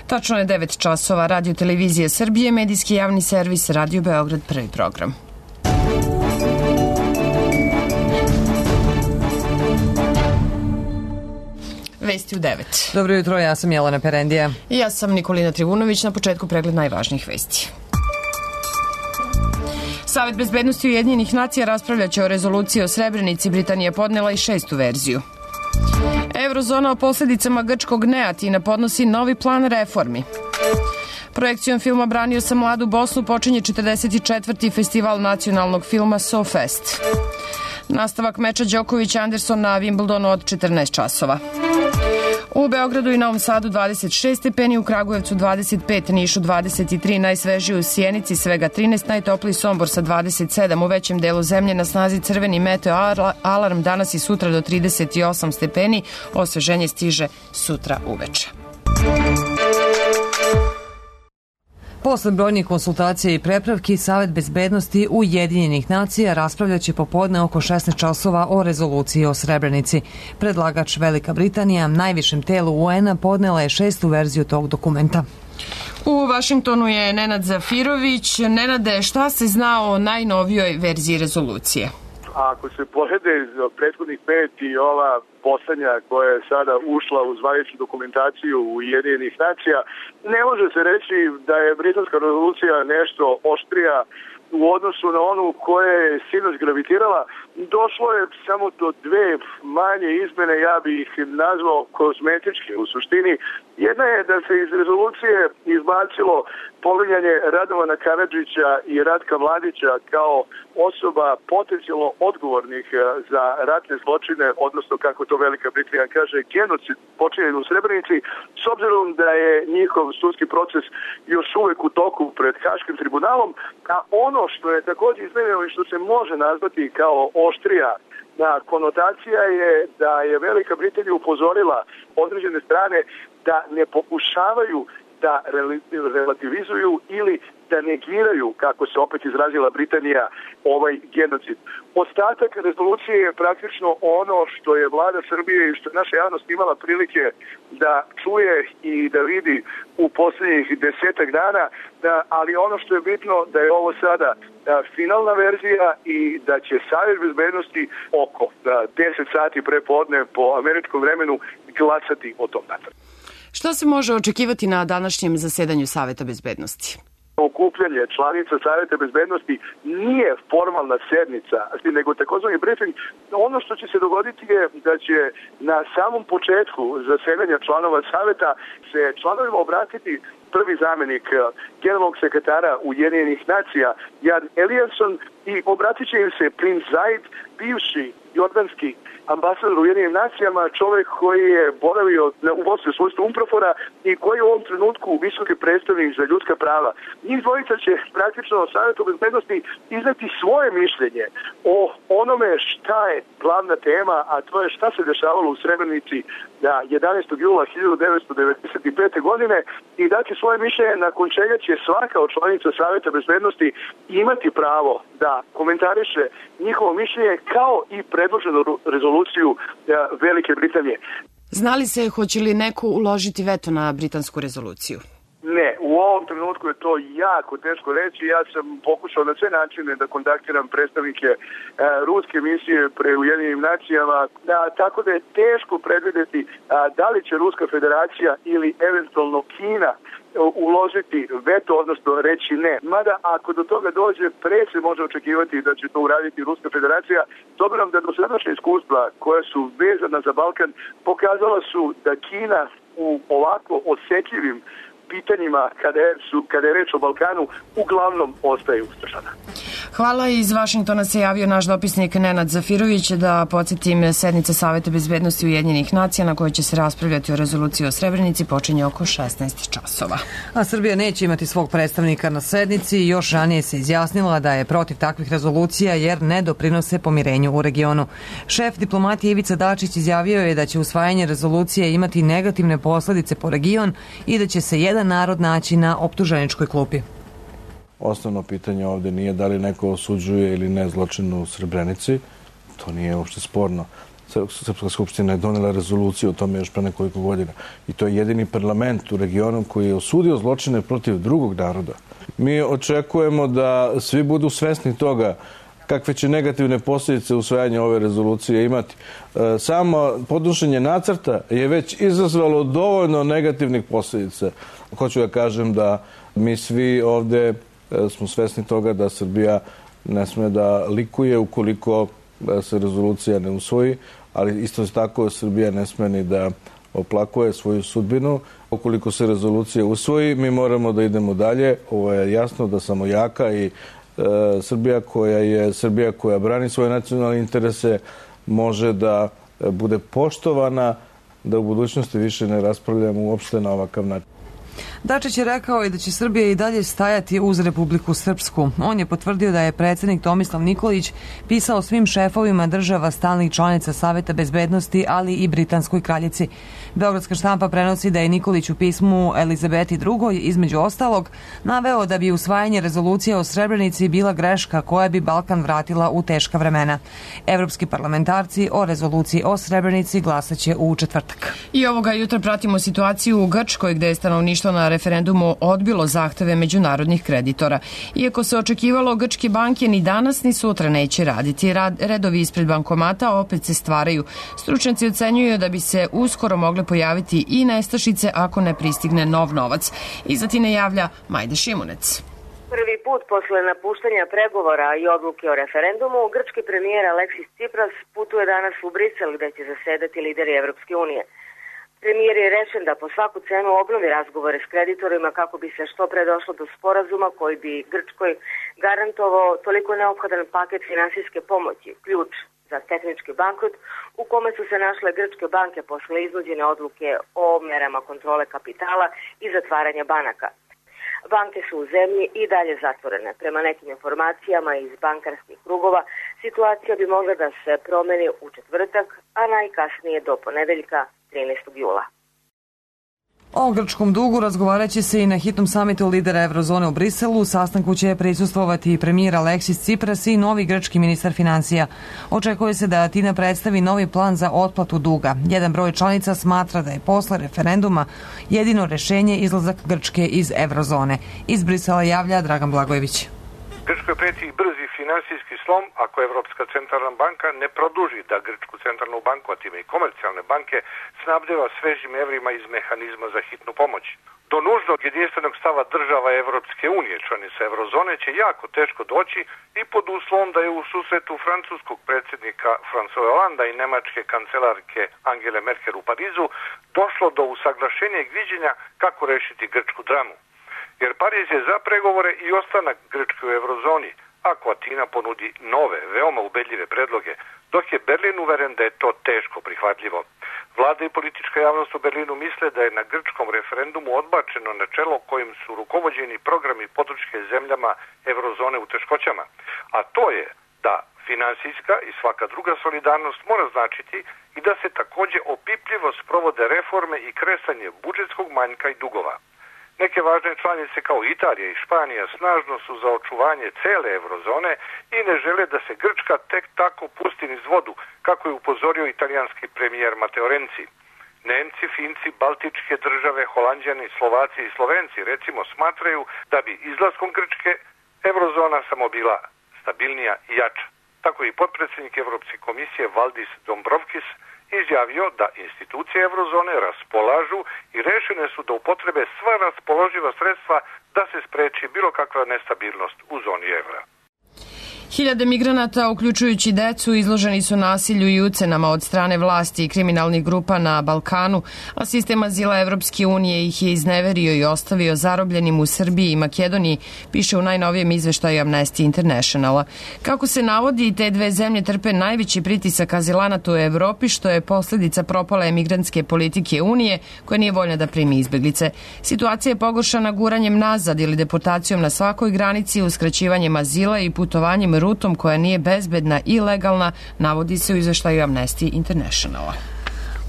Tačno je 9 časova. Radio Televizije Srbije, medijski javni servis, Radio Beograd, prvi program. Vesti u 9. Dobro jutro, ja sam Jelena Perendija. I ja sam Nikolina Trivunović. Na početku pregled najvažnijih vesti. Savet bezbednosti Ujedinjenih nacija raspravljaće o rezoluciji o Srebrenici. Britanija podnela i 6. verziju. Eurozona o posljedicama grčkog neatina podnosi novi plan reformi. Projekcijom filma Branio sam mladu Bosnu počinje 44. festival nacionalnog filma SoFest. Nastavak meča Đoković-Anderson na Wimbledonu od 14 časova. U Beogradu i Novom Sadu 26 stepeni, u Kragujevcu 25, Nišu 23, najsvežiji u Sjenici svega 13, najtopliji Sombor sa 27, u većem delu zemlje na snazi crveni meteo alarm danas i sutra do 38 stepeni, osveženje stiže sutra uveče. Posle brojnih konsultacija i prepravki, Savet bezbednosti Ujedinjenih nacija raspravljaće popodne oko 16 časova o rezoluciji o Srebrenici. Predlagač Velika Britanija, najvišem telu UN-a, podnela je 6. verziju tog dokumenta. U Vašingtonu je Nenad Zafirović. Nenade, šta se zna o najnovijoj verziji rezolucije? Ako se porede prethodnih 5 i ova poslednja koja je sada ušla u zvaničnu dokumentaciju Ujedinjenih nacija, ne može se reći da je britanska rezolucija nešto oštrija u odnosu na onu koja je sinoć gravitirala. Došlo je samo do 2 manje izmene, ja bih ih nazvao kozmetičke u suštini. Jedna je da se iz rezolucije izbacilo pominjanje Radovana Karadžića i Ratka Mladića kao osoba potencijalno odgovornih za ratne zločine, odnosno kako to Velika Britanija kaže, genocid počinjen u Srebrenici, s obzirom da je njihov sudski proces još uvek u toku pred Haškim tribunalom, a ono što je također izmenjeno i što se može nazvati kao oštrija konotacija je da je Velika Britanija upozorila određene strane da ne pokušavaju da relativizuju ili da negiraju, kako se opet izrazila Britanija, ovaj genocid. Ostatak rezolucije je praktično ono što je vlada Srbije i što je naša javnost imala prilike da čuje i da vidi u posljednjih 10 dana, ali ono što je bitno da je ovo sada finalna verzija i da će Savet bezbednosti oko 10 sati pre podne po američkom vremenu glasati o tom nacrtu. Šta se može očekivati na današnjem zasedanju Saveta bezbednosti? Okupljanje članica Saveta bezbednosti nije formalna sednica, nego takozvani briefing. Ono što će se dogoditi je da će na samom početku zasedanja članova Saveta se članovima obratiti prvi zamjenik generalnog sekretara Ujedinjenih nacija Jan Eliasson i obratit će im se princ Zaid, bivši jordanski ambasador Ujedinjenim nacijama, čovjek koji je boravio u Bosni u svojstvu UNPROFOR-a i koji je u ovom trenutku visoki predstavnik za ljudska prava. Njih dvojica će praktično Savetu bezbednosti izneti svoje mišljenje o onome šta je glavna tema, a to je šta se dešavalo u Srebrenici 11. jula 1995. godine i dati svoje mišljenje, nakon čega će svaka od članica Saveta bezbednosti imati pravo da komentariše njihovo mišljenje kao i predloženu rezoluciju Velike Britanije. Znali se hoće li neko uložiti veto na britansku rezoluciju? Ne, u ovom trenutku je to jako teško reći. Ja sam pokušao na sve načine da kontaktiram predstavnike ruske misije pre Ujedinjenim nacijama, tako da je teško predvidjeti da li će Ruska federacija ili eventualno Kina uložiti veto, odnosno reći ne. Mada ako do toga dođe, pre se može očekivati da će to uraditi Ruska federacija, s obzirom da dosadašnja iskustva koja su vezana za Balkan pokazala su da Kina u ovako osjetljivim pitanjima kada je reč o Balkanu uglavnom ostaje ustršana. Hvala. Iz Vašingtona se javio naš dopisnik Nenad Zafirović. Da podsjetim, sednica Saveta bezbednosti Ujedinjenih nacija na kojoj će se raspravljati o rezoluciji o Srebrenici počinje oko 16 časova. A Srbija neće imati svog predstavnika na sednici. Još ranije se izjasnila da je protiv takvih rezolucija jer ne doprinose pomirenju u regionu. Šef diplomatije Ivica Dačić izjavio je da će usvajanje rezolucije imati negativne posledice po region i da će se jedan narod naći na optuženičkoj klupi. Osnovno pitanje ovdje nije da li neko osuđuje ili ne zločin u Srebrenici, to nije uopšte sporno. Srpska skupština je donela rezoluciju o tome još pre nekoliko godina. I to je jedini parlament u regionu koji je osudio zločine protiv drugog naroda. Mi očekujemo da svi budu svesni toga kakve će negativne posljedice usvajanja ove rezolucije imati. Samo podnošenje nacrta je već izazvalo dovoljno negativnih posljedica. Hoću da kažem da mi svi ovde smo svesni toga da Srbija ne sme da likuje ukoliko se rezolucija ne usvoji, ali isto tako Srbija ne sme ni da oplakuje svoju sudbinu. Ukoliko se rezolucija usvoji, mi moramo da idemo dalje. Ovo je jasno da samo jaka i Srbija koja brani svoje nacionalne interese može da bude poštovana, da u budućnosti više ne raspravljamo uopšte na ovakav način. Dačić je rekao i da će Srbija i dalje stajati uz Republiku Srpsku. On je potvrdio da je predsjednik Tomislav Nikolić pisao svim šefovima država stalnih članica Saveta bezbednosti, ali i britanskoj kraljici. Beogradska štampa prenosi da je Nikolić u pismu Elizabeti II. Između ostalog naveo da bi usvajanje rezolucije o Srebrenici bila greška koja bi Balkan vratila u teška vremena. Evropski parlamentarci o rezoluciji o Srebrenici glasaće u četvrtak. I ovoga jutra pratimo situaciju u Grčkoj gde je stanovništvo na referendumu odbilo zahteve međunarodnih kreditora. Iako se očekivalo, grčke banke ni danas ni sutra neće raditi. Redovi ispred bankomata opet se stvaraju. Stručnjaci ocenjuju da bi se uskoro mogle pojaviti i nestašice ako ne pristigne nov novac. Iza Tine javlja Majda Šimunec. Prvi put posle napuštanja pregovora i odluke o referendumu, grčki premijer Aleksis Tsipras putuje danas u Brisel gde će zasedati lideri Evropske unije. Premijer je rečen da po svaku cenu obnovi razgovore s kreditorima kako bi se što pre došlo do sporazuma koji bi Grčkoj garantovao toliko neophodan paket finansijske pomoći, ključ za tehnički bankrot u kome su se našle grčke banke posle iznuđene odluke o merama kontrole kapitala i zatvaranja banaka. Banke su u zemlji i dalje zatvorene. Prema nekim informacijama iz bankarskih krugova, situacija bi mogla da se promeni u četvrtak, a najkasnije do ponedeljka 13. jula. O grčkom dugu razgovarat će se i na hitnom samitu lidera Eurozone u Briselu. Sastanku će prisustvovati i premijer Aleksis Tsipras i novi grčki ministar financija. Očekuje se da Atina predstavi novi plan za otplatu duga. Jedan broj članica smatra da je posle referenduma jedino rešenje izlazak Grčke iz Eurozone. Iz Brisela javlja Dragan Blagojević. Grčkoj preti brzi finansijski slom ako Evropska centralna banka ne produži da Grčku centralnu banku, a time i komercijalne banke, snabdeva svežim evrima iz mehanizma za hitnu pomoć. Do nužnog jedinstvenog stava država Evropske unije, članica Eurozone, će jako teško doći i pod uslovom da je u susretu francuskog predsjednika François Hollanda i nemačke kancelarke Angele Merkel u Parizu došlo do usaglašenja i viđenja kako rešiti grčku dramu. Jer Pariz je za pregovore i ostanak Grčke u Eurozoni, ako Atina ponudi nove, veoma ubedljive predloge, dok je Berlin uveren da je to teško prihvatljivo. Vlada i politička javnost u Berlinu misle da je na grčkom referendumu odbačeno načelo kojim su rukovođeni programi podrške zemljama Eurozone u teškoćama, a to je da finansijska i svaka druga solidarnost mora značiti i da se takođe opipljivo sprovode reforme i kresanje budžetskog manjka i dugova. Neke važne članice kao Italija i Španija snažno su za očuvanje cele Eurozone i ne žele da se Grčka tek tako pusti niz vodu, kako je upozorio italijanski premijer Matteo Renzi. Nemci, Finci, Baltičke države, Holanđani, Slovaci i Slovenci recimo smatraju da bi izlaskom Grčke Eurozona samo bila stabilnija i jača. Tako i potpredsjednik Evropske komisije Valdis Dombrovskis izjavio da institucije Eurozone raspolažu i rešene su da upotrebe sva raspoloživa sredstva da se spreči bilo kakva nestabilnost u zoni evra. Hiljade migranata, uključujući decu, izloženi su nasilju i ucenama od strane vlasti i kriminalnih grupa na Balkanu, a sistem azila Evropske unije ih je izneverio i ostavio zarobljenim u Srbiji i Makedoniji, piše u najnovijem izveštaju Amnesty Internationala. Kako se navodi, te dve zemlje trpe najveći pritisak azilanata u Evropi, što je posljedica propale emigrantske politike Unije, koja nije voljna da primi izbeglice. Situacija je pogoršana guranjem nazad ili deportacijom na svakoj granici, uskraćivanjem azila i putovanjem rutom koja nije bezbedna i legalna, navodi se u izveštaju Amnesty Internationala.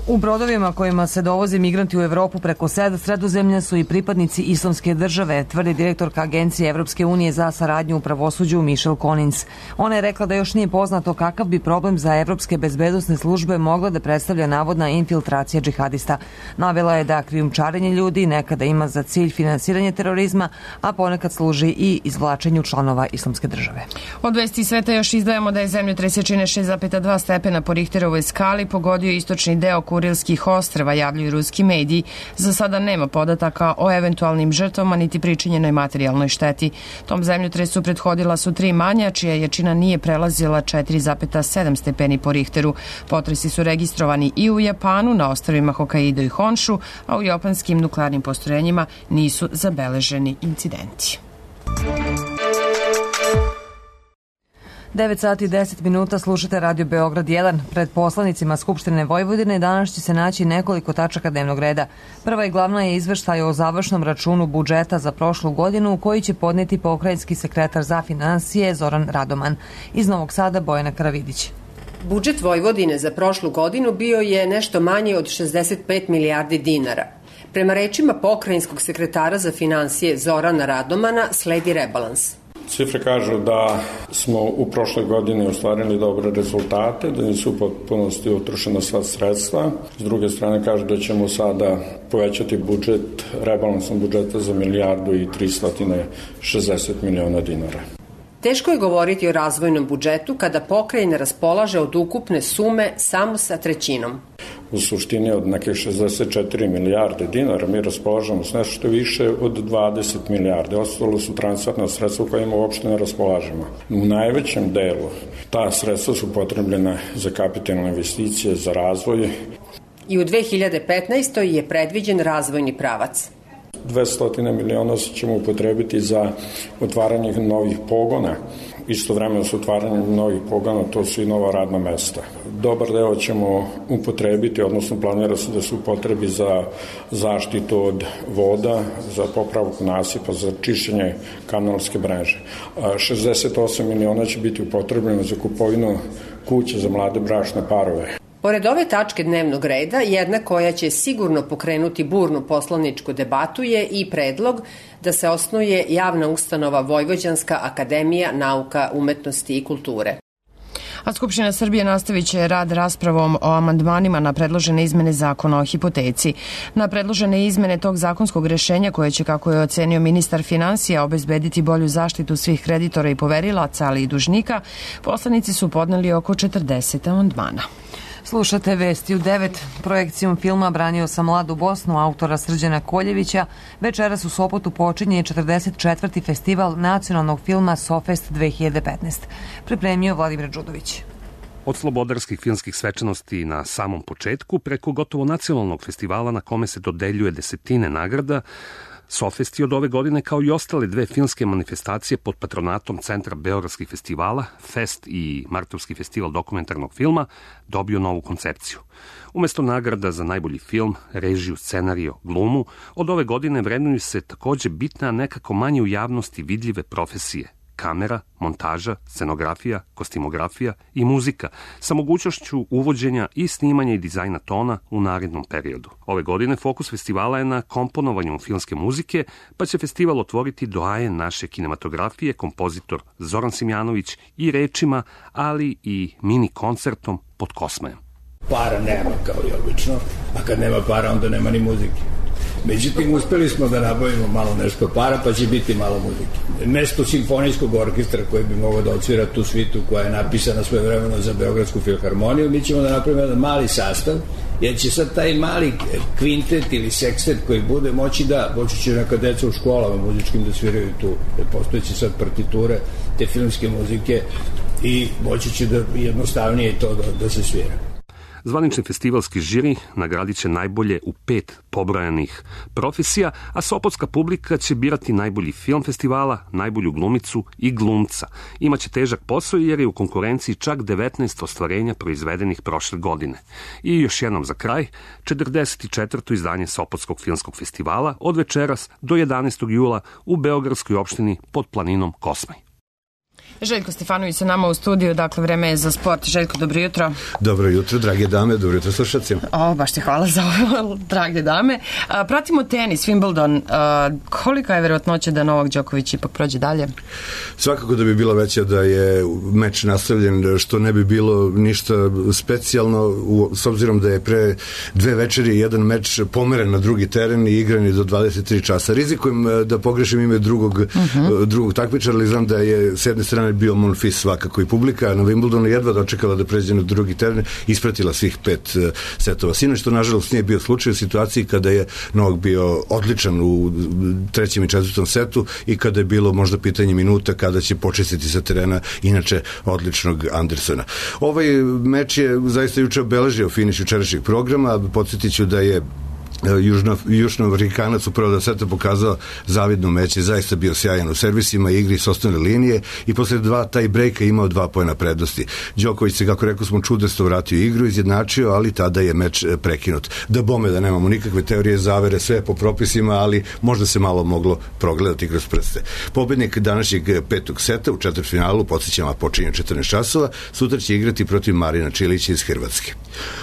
U brodovima kojima se dovoze migranti u Evropu preko Sredozemlja su i pripadnici Islamske države, tvrdi direktorka Agencije Evropske unije za saradnju u pravosuđu Michelle Collins. Ona je rekla da još nije poznato kakav bi problem za evropske bezbednosne službe mogla da predstavlja navodna infiltracija džihadista. Navela je da krijumčarenje ljudi nekada ima za cilj finansiranje terorizma, a ponekad služi i izvlačenju članova Islamske države. Od vesti sveta još izdajemo da je zemljotres jačine 6,2 stepena po Richterovoj skali pogodio istočni deo Kurilskih ostrva, javljaju ruski mediji. Za sada nema podataka o eventualnim žrtvama niti pričinjenoj materijalnoj šteti. Tom zemljotresu prethodila su 3 manja, čija jačina nije prelazila 4,7 stepeni po Richteru. Potresi su registrovani i u Japanu, na ostrvima Hokkaido i Honshu, a u japanskim nuklearnim postrojenjima nisu zabeleženi incidenti. 9 sati i 10 minuta, slušate Radio Beograd 1. Pred poslanicima Skupštine Vojvodine danas će se naći nekoliko tačaka dnevnog reda. Prva i glavna je izveštaj o završnom računu budžeta za prošlu godinu koji će podneti pokrajinski sekretar za finansije Zoran Radoman. Iz Novog Sada Bojana Karavidić. Budžet Vojvodine za prošlu godinu bio je nešto manji od 65 milijardi dinara. Prema rečima pokrajinskog sekretara za finansije Zorana Radomana sledi rebalans. Cifre kažu da smo u prošloj godini ostvarili dobre rezultate, da nisu u potpunosti utrošena sva sredstva. S druge strane kažu da ćemo sada povećati budžet, rebalansom budžeta za 1.360 miliona dinara. Teško je govoriti o razvojnom budžetu kada pokrajina raspolaže od ukupne sume samo sa trećinom. U suštini od nekih 64 milijarde dinara mi raspolažemo s nešto više od 20 milijarde. Ostalo su transferna sredstva kojima uopšte ne raspolažemo. U najvećem delu ta sredstva su potrebljena za kapitalne investicije, za razvoj. I u 2015. je predviđen razvojni pravac. 200 miliona ćemo upotrebiti za otvaranje novih pogona. Istovremeno s otvaranjem novih pogona to su i nova radna mesta. Dobar deo ćemo upotrebiti, odnosno planira se da se upotrebi za zaštitu od voda, za popravku nasipa, za čišćenje kanalske mreže. 68 miliona će biti upotrebljeno za kupovinu kuće za mlade bračne parove. Pored ove tačke dnevnog reda, jedna koja će sigurno pokrenuti burnu poslaničku debatu je i predlog da se osnuje javna ustanova Vojvođanska akademija nauka, umetnosti i kulture. A Skupština Srbije nastavit će rad raspravom o amandmanima na predložene izmene zakona o hipoteci. Na predložene izmene tog zakonskog rešenja koje će, kako je ocenio ministar finansija, obezbediti bolju zaštitu svih kreditora i poverilaca, ali i dužnika, poslanici su podneli oko 40 amandmana. Slušate vesti u 9. Projekcijom filma Branio sam mladu Bosnu autora Srđana Koljevića večeras u Sopotu počinje 44. festival nacionalnog filma Sofest 2015. Pripremio Vladimir Đudović. Od slobodarskih filmskih svečanosti na samom početku preko gotovo nacionalnog festivala na kome se dodeljuje desetine nagrada, Sofest je od ove godine, kao i ostale 2 filmske manifestacije pod patronatom Centra beogradskih festivala, Fest i Martovski festival dokumentarnog filma, dobio novu koncepciju. Umesto nagrada za najbolji film, režiju, scenario, glumu, od ove godine vrednuju se takođe bitne, a nekako manje u javnosti vidljive profesije: kamera, montaža, scenografija, kostimografija i muzika, sa mogućnošću uvođenja i snimanja i dizajna tona u narednom periodu. Ove godine fokus festivala je na komponovanju filmske muzike, pa će festival otvoriti doajen naše kinematografije, kompozitor Zoran Simjanović, i rečima, ali i mini koncertom pod Kosmajem. Para nema, kao i obično, a kad nema para onda nema ni muzike. Međutim, uspeli smo da nabavimo malo nešto para, pa će biti malo muzike. Mesto simfonijskog orkestra koji bi mogao da odsvira tu svitu koja je napisana svojevremeno za Beogradsku filharmoniju, mi ćemo da napravimo jedan mali sastav, jer će sad taj mali kvintet ili sekstet koji bude moći će neka deca u školama muzičkim da sviraju tu, jer postojeće sad partiture te filmske muzike i moći će da jednostavnije to da se svira. Zvanični festivalski žiri nagradit će najbolje u 5 pobrojanih profesija, a sopotska publika će birati najbolji film festivala, najbolju glumicu i glumca. Imaće težak posao jer je u konkurenciji čak 19 ostvarenja proizvedenih prošle godine. I još jednom za kraj, 44. izdanje Sopotskog filmskog festivala od večeras do 11. jula u beogradskoj opštini pod planinom Kosmaj. Željko Stefanović sa nama u studiju, dakle vreme je za sport. Željko, dobro jutro. Dobro jutro, drage dame, dobro jutro slušacima. Baš ti hvala za ovo, drage dame. Pratimo tenis, Wimbledon. Kolika je verovatnoća da Novak Đoković ipak prođe dalje? Svakako da bi bila veća da je meč nastavljen, što ne bi bilo ništa specijalno, s obzirom da je pre 2 večeri jedan meč pomeren na drugi teren i igran je do 23 časa. Rizikujem da pogrešim ime drugog takmičara, ali znam da je s jedne strane bio Monfils svakako i publika na Wimbledonu jedva dočekala da pređe na drugi teren, ispratila svih 5 setova. Sinoć što nažalost nije bio slučaj u situaciji kada je Novak bio odličan u 3. i 4. setu i kada je bilo možda pitanje minuta kada će počistiti sa terena inače odličnog Andersona. Ovaj meč je zaista juče obeležio finiš jučerašnjeg programa. Podsjetit ću da je Južnoamerikanac u prva 2 seta pokazao zavidno meće, zaista bio sjajan u servisima, igri s osnovne linije i posle 2 taj brejka imao 2 poena prednosti. Đoković se, kako rekao smo, čudesto vratio igru, izjednačio, ali tada je meč prekinut. Da bome da nemamo nikakve teorije zavere, sve po propisima, ali možda se malo moglo progledati kroz prste. Pobednik današnjeg 5. seta u četvrtfinalu, podsjećamo, počinje 14 časova, sutra će igrati protiv Marina Čilića iz Hrvatske.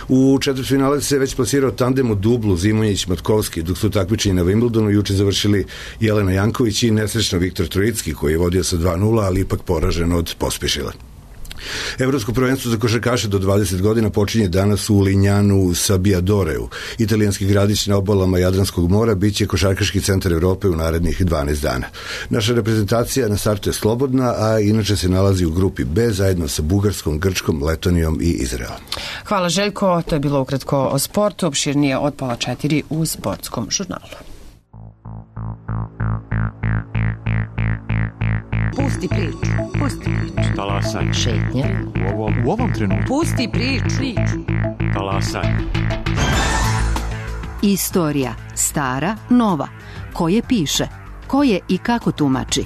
U četvrtfinalu se već plasirao tandem u dublu Zimonjić-Matkovski, dok su takmičenje na Wimbledonu juče završili Jelena Janković i nesrećno Viktor Trojicki, koji je vodio sa 2:0, ali ipak poražen od Pospišila. Evropsko prvenstvo za košarkaše do 20 godina počinje danas u Linjanu Sabbiadoreu. Italijanski gradić na obalama Jadranskog mora biće košarkaški centar Evrope u narednih 12 dana. Naša reprezentacija na startu je slobodna, a inače se nalazi u grupi B zajedno sa Bugarskom, Grčkom, Letonijom i Izraelom. Hvala Željko, to je bilo ukratko o sportu, opširnije od 3:30 u Sportskom žurnalu. Pusti priču. Talasaj. Šetnja. U ovom trenutku. Pusti priču. Talasaj. Istorija. Stara, nova. Ko je piše? Ko je i kako tumači?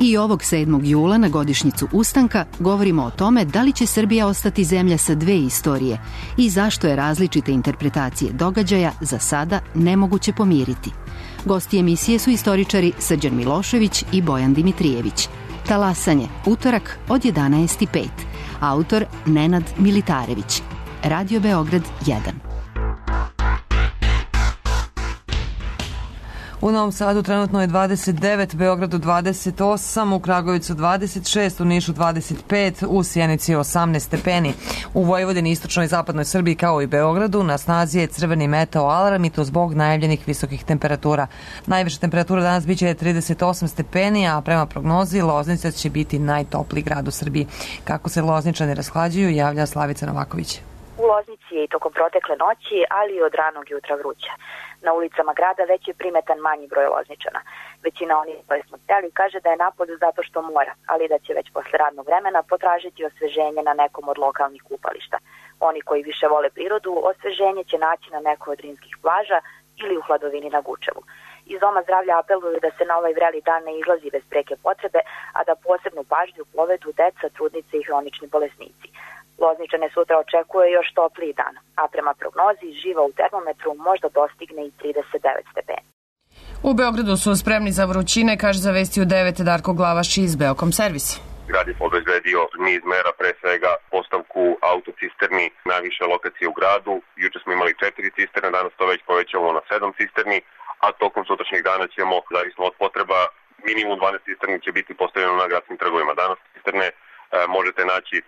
I ovog 7. jula na godišnjicu ustanka govorimo o tome da li će Srbija ostati zemlja sa 2 istorije i zašto je različite interpretacije događaja za sada nemoguće pomiriti. Gosti emisije su istoričari Srđan Milošević i Bojan Dimitrijević. Talasanje, utorak od 11:05. Autor Nenad Militarević. Radio Beograd 1. U Novom Sadu trenutno je 29, Beogradu 28, u Kragujevcu 26, u Nišu 25, u Sjenici 18 stepeni. U Vojvodini, istočnoj i zapadnoj Srbiji kao i Beogradu na snazi je crveni meteo alarm i to zbog najavljenih visokih temperatura. Najviša temperatura danas biće 38 stepeni, a prema prognozi Loznica će biti najtopliji grad u Srbiji. Kako se Lozničani rashlađuju, javlja Slavica Novaković. U Loznici je i tokom protekle noći, ali i od ranog jutra vruće. Na ulicama grada već je primetan manji broj Lozničana. Većina onih koje smo htjeli kaže da je napolju zato što mora, ali da će već posle radnog vremena potražiti osveženje na nekom od lokalnih kupališta. Oni koji više vole prirodu, osveženje će naći na nekoj od rimskih plaža ili u hladovini na Gučevu. Iz Doma zdravlja apeluju da se na ovaj vreli dan ne izlazi bez preke potrebe, a da posebnu pažnju povedu deca, trudnice i hronični bolesnici. Lozničane sutra očekuje još topliji dan, a prema prognozi živa u termometru možda dostigne i 39 stepeni. U Beogradu su spremni za vrućine, kaže za Vesti u 9 Darko Glavaš iz Beokom servisa. Grad je obezbedio niz mera, pre svega postavku autocisterni na više lokacije u gradu. Juče smo imali 4 cisterne, danas to već povećavamo na 7 cisterni, a tokom sutrašnjeg dana ćemo, zavisno od potreba, minimum 12 cisterni će biti postavljeno na gradskim trgovima. Danas cisterne možete naći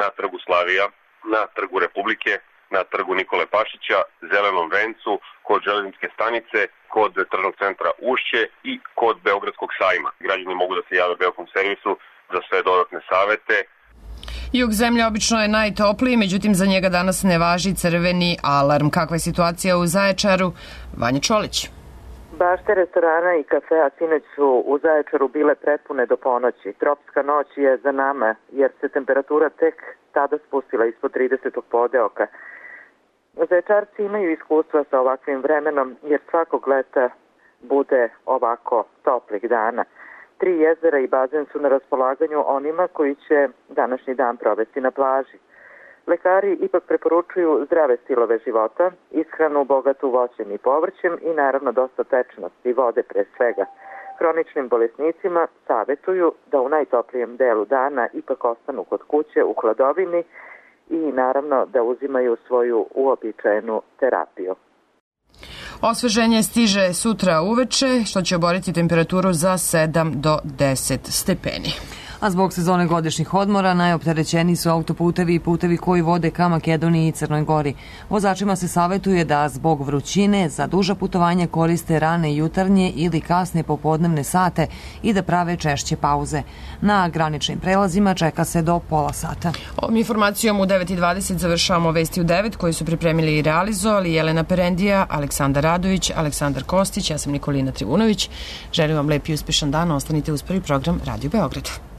na trgu Slavija, na trgu Republike, na trgu Nikole Pašića, Zelenom vencu, kod železničke stanice, kod tržnog centra Ušće i kod Beogradskog sajma. Građani mogu da se jave Beokom servisu za sve dodatne savete. Jug zemlje obično je najtopliji, međutim za njega danas ne važi crveni alarm. Kakva je situacija u Zaječaru? Vanja Čolić. Bašte restorana i kafea sinoć su u Zaječaru bile prepune do ponoći. Tropska noć je za nama jer se temperatura tek tada spustila ispod 30. podeoka. Zaječarci imaju iskustva sa ovakvim vremenom jer svakog leta bude ovako toplih dana. 3 jezera i bazen su na raspolaganju onima koji će današnji dan provesti na plaži. Lekari ipak preporučuju zdrave stilove života, ishranu bogatu voćem i povrćem i naravno dosta tečnosti, vode pre svega. Hroničnim bolesnicima savjetuju da u najtoplijem delu dana ipak ostanu kod kuće u hladovini i naravno da uzimaju svoju uobičajenu terapiju. Osveženje stiže sutra uveče, što će oboriti temperaturu za 7 do 10 stepeni. A zbog sezone godišnjih odmora najopterećeniji su autoputevi i putevi koji vode ka Makedoniji i Crnoj Gori. Vozačima se savjetuje da zbog vrućine za duža putovanja koriste rane jutarnje ili kasne popodnevne sate i da prave češće pauze. Na graničnim prelazima čeka se do pola sata. Ovom informacijom u 9:20 završavamo Vesti u 9 koji su pripremili i realizovali Jelena Perendija, Aleksandar Radović, Aleksandar Kostić, ja sam Nikolina Trivunović. Želim vam lep i uspešan dan, ostanite uz prvi program Radio Beograd.